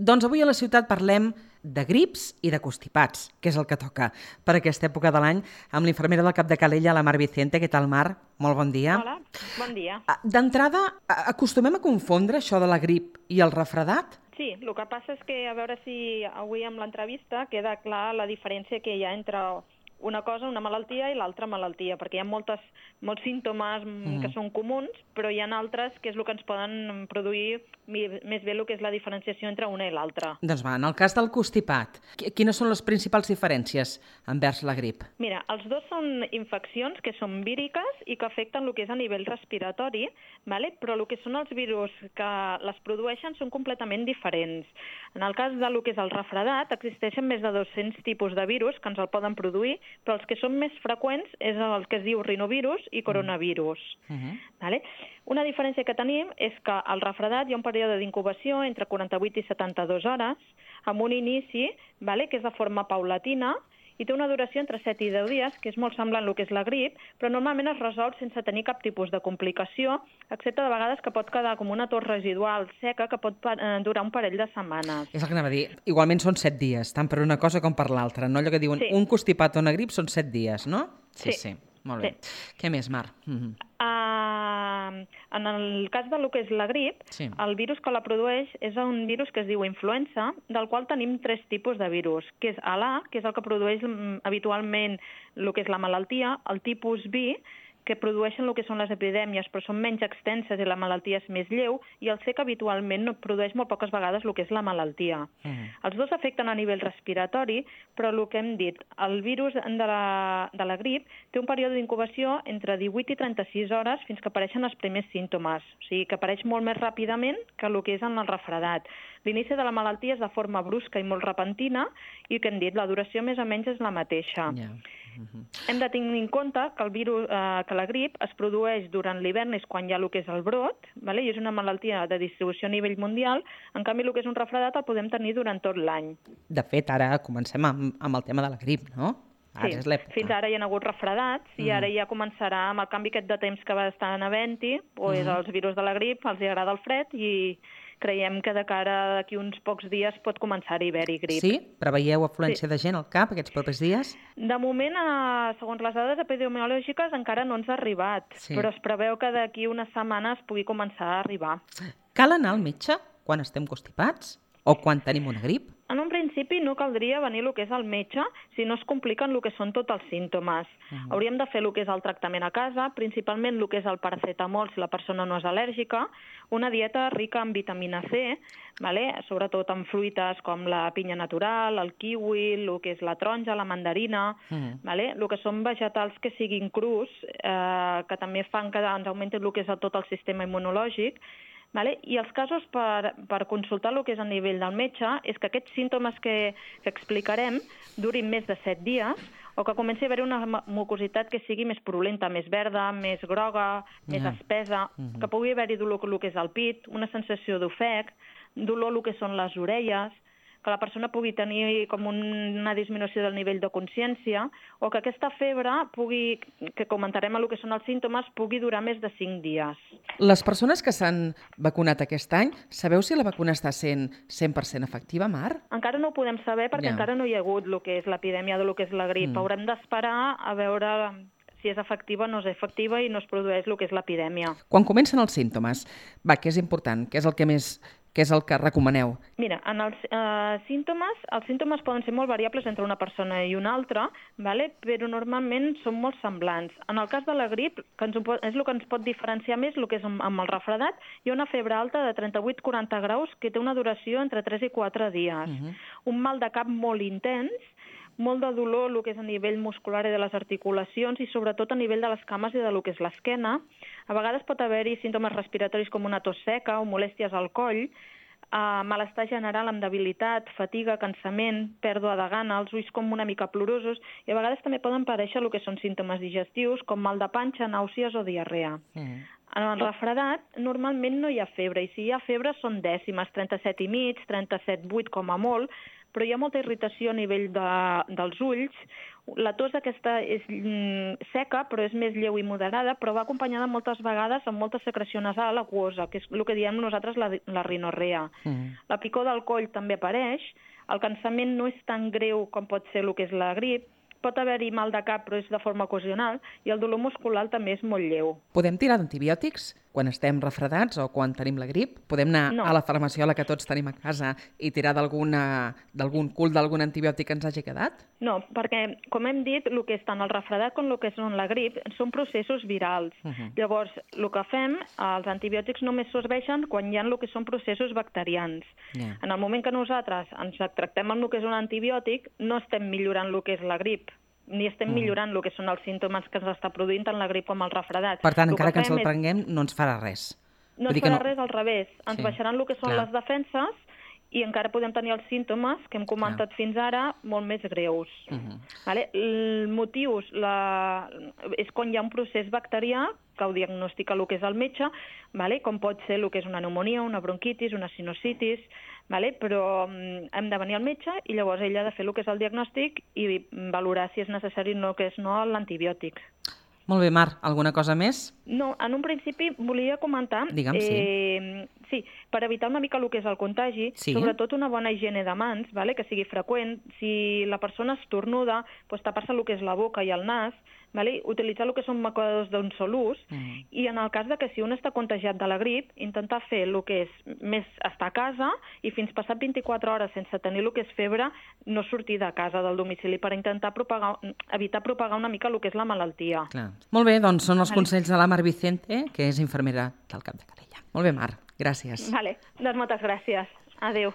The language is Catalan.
Doncs avui a la ciutat parlem de grips i de constipats, que és el que toca per aquesta època de l'any, amb l'infermera del Cap de Calella, la Mar Vicente. Què tal, Mar? Molt bon dia. Hola, bon dia. D'entrada, acostumem a confondre això de la grip i el refredat? Sí, el que passa és que a veure si avui amb l'entrevista queda clar la diferència que hi ha entre una cosa, una malaltia, i l'altra malaltia, perquè hi ha molts símptomes que són comuns, però hi ha altres que és el que ens poden produir més bé el que és la diferenciació entre una i l'altra. Doncs va, en el cas del constipat, quines són les principals diferències envers la grip? Mira, els dos són infeccions que són víriques i que afecten el que és a nivell respiratori, ¿vale? Però el que són els virus que les produeixen són completament diferents. En el cas del que és el refredat, existeixen més de 200 tipus de virus que ens el poden produir, però els que són més freqüents és el que es diu rinovirus i coronavirus. Vale? Una diferència que tenim és que al refredat hi ha un període d'incubació entre 48 i 72 hores, amb un inici, vale, que és de forma paulatina, i té una duració entre 7 i 10 dies, que és molt semblant al que és la grip, però normalment es resol sense tenir cap tipus de complicació, excepte de vegades que pot quedar com una tos residual seca que pot durar un parell de setmanes. És el que anava a dir. Igualment són 7 dies, tant per una cosa com per l'altra, no? Allò que diuen un constipat o una grip són 7 dies, no? Sí. Molt bé. Què més, Mar? En el cas del que és la grip, el virus que la produeix és un virus que es diu influenza, del qual tenim 3 tipus de virus, que és l'A, que és el que produeix habitualment el que és la malaltia, el tipus B, que produeixen el que són les epidèmies, però són menys extenses i la malaltia és més lleu, i el C, que habitualment produeix molt poques vegades el que és la malaltia. Els dos afecten a nivell respiratori, però el que hem dit, el virus de la grip té un període d'incubació entre 18 i 36 hores fins que apareixen els primers símptomes, o sigui que apareix molt més ràpidament que el que és en el refredat. L'inici de la malaltia és de forma brusca i molt repentina, i el que hem dit, la duració més o menys és la mateixa. Hem de tenir en compte que que la grip es produeix durant l'hivern, és quan hi ha el que és el brot, vale? I és una malaltia de distribució a nivell mundial. En canvi, el que és un refredat el podem tenir durant tot l'any. De fet, ara comencem amb el tema de la grip, no? Ara és l'època. Fins ara hi ha hagut refredats i ara ja començarà amb el canvi aquest de temps que va estar havent-hi, els virus de la grip els agrada el fred i creiem que de cara d'aquí uns pocs dies pot començar a haver-hi grip. Sí? Preveieu afluència de gent al CAP aquests propers dies? De moment, segons les dades epidemiològiques, encara no ens ha arribat, però es preveu que d'aquí unes setmanes pugui començar a arribar. Cal anar al metge quan estem constipats o quan tenim una grip? En un principi no caldria venir el que és al metge si no es compliquen el que són tots els símptomes. Hauríem de fer el que és el tractament a casa, principalment el que és el paracetamol si la persona no és al·lèrgica, una dieta rica en vitamina C, vale? Sobretot en fruites com la pinya natural, el kiwi, el que és la taronja, la mandarina, vale? El que són vegetals que siguin crus, que també fan que ens augmenti el que és tot el sistema immunològic. Vale? I els casos per consultar el que és a nivell del metge és que aquests símptomes que explicarem durin més de 7 dies o que comenci a haver una mucositat que sigui més purulenta, més verda, més groga, més espesa, que pugui haver-hi dolor el que és el pit, una sensació d'ofec, dolor el que són les orelles, que la persona pugui tenir com una disminució del nivell de consciència o que aquesta febre que comentarem el que són els símptomes, pugui durar més de 5 dies. Les persones que s'han vacunat aquest any, sabeu si la vacuna està sent 100% efectiva, Mar? Encara no ho podem saber perquè encara no hi ha hagut el que és l'epidèmia de lo que és la grip. Haurem d'esperar a veure si és efectiva o no és efectiva i no es produeix el que és l'epidèmia. Quan comencen els símptomes, què és important? Què és el que recomaneu? Mira, en els símptomes poden ser molt variables entre una persona i una altra, vale? Però normalment són molt semblants. En el cas de la grip, és el que ens pot diferenciar més el que és amb el refredat, hi ha una febre alta de 38-40 graus que té una duració entre 3 i 4 dies. Un mal de cap molt intens, molt de dolor, el que és a nivell muscular i de les articulacions i sobretot a nivell de les cames i de lo que és l'esquena. A vegades pot haver-hi símptomes respiratoris com una tos seca o molèsties al coll, malestar general amb debilitat, fatiga, cansament, pèrdua de gana, els ulls com una mica plorosos i a vegades també poden aparèixer el que són símptomes digestius com mal de panxa, nàusees o diarrea. En el refredat normalment no hi ha febre i si hi ha febre són dècimes, 37,5, 37,8 com a molt, però hi ha molta irritació a nivell dels ulls. La tos aquesta és seca, però és més lleu i moderada, però va acompanyada moltes vegades amb molta secreció nasal aquosa, que és el que diem nosaltres la rinorrea. La picor del coll també apareix, el cansament no és tan greu com pot ser el que és la grip, pot haver-hi mal de cap, però és de forma ocasional, i el dolor muscular també és molt lleu. Podem tirar d'antibiòtics quan estem refredats o quan tenim la grip? Podem anar a la farmaciola que tots tenim a casa i tirar d'algun cul d'algun antibiòtic que ens hagi quedat? No, perquè, com hem dit, el que és tant el refredat com el que és la grip són processos virals. Llavors, el que fem, els antibiòtics només serveixen quan hi ha el que són processos bacterians. En el moment que nosaltres ens tractem amb el que és un antibiòtic, no estem millorant el que és la grip, ni estem millorant el que són els símptomes que ens està produint tant la grip com el refredat. Per tant, encara que ens el prenguem, no ens farà res. No ens farà res, al revés. Ens baixaran el que són les defenses i encara podem tenir els símptomes que hem comentat fins ara molt més greus. El motiu és quan hi ha un procés bacterià que ho diagnostica el que és el metge, com pot ser el que és una pneumònia, una bronquitis, una sinusitis, però hem de venir al metge i llavors ell ha de fer el que és el diagnòstic i valorar si és necessari o no l'antibiòtic. Molt bé, Mar, alguna cosa més? No, en un principi volia comentar... Digue'm, sí, per evitar una mica el que és el contagi, sobretot una bona higiene de mans, que sigui freqüent. Si la persona estornuda, tapar-se el que és la boca i el nas, utilitzar el que són macodadors d'un sol ús, i en el cas que si un està contagiat de la grip, intentar fer el que és més estar a casa i fins passat 24 hores sense tenir el que és febre, no sortir de casa, del domicili, per intentar evitar propagar una mica el que és la malaltia. Molt bé, doncs són els consells de la Mar Vicente, que és infermera del Cap de Calella. Molt bé, Mar, gràcies. Doncs moltes gràcies. Adéu.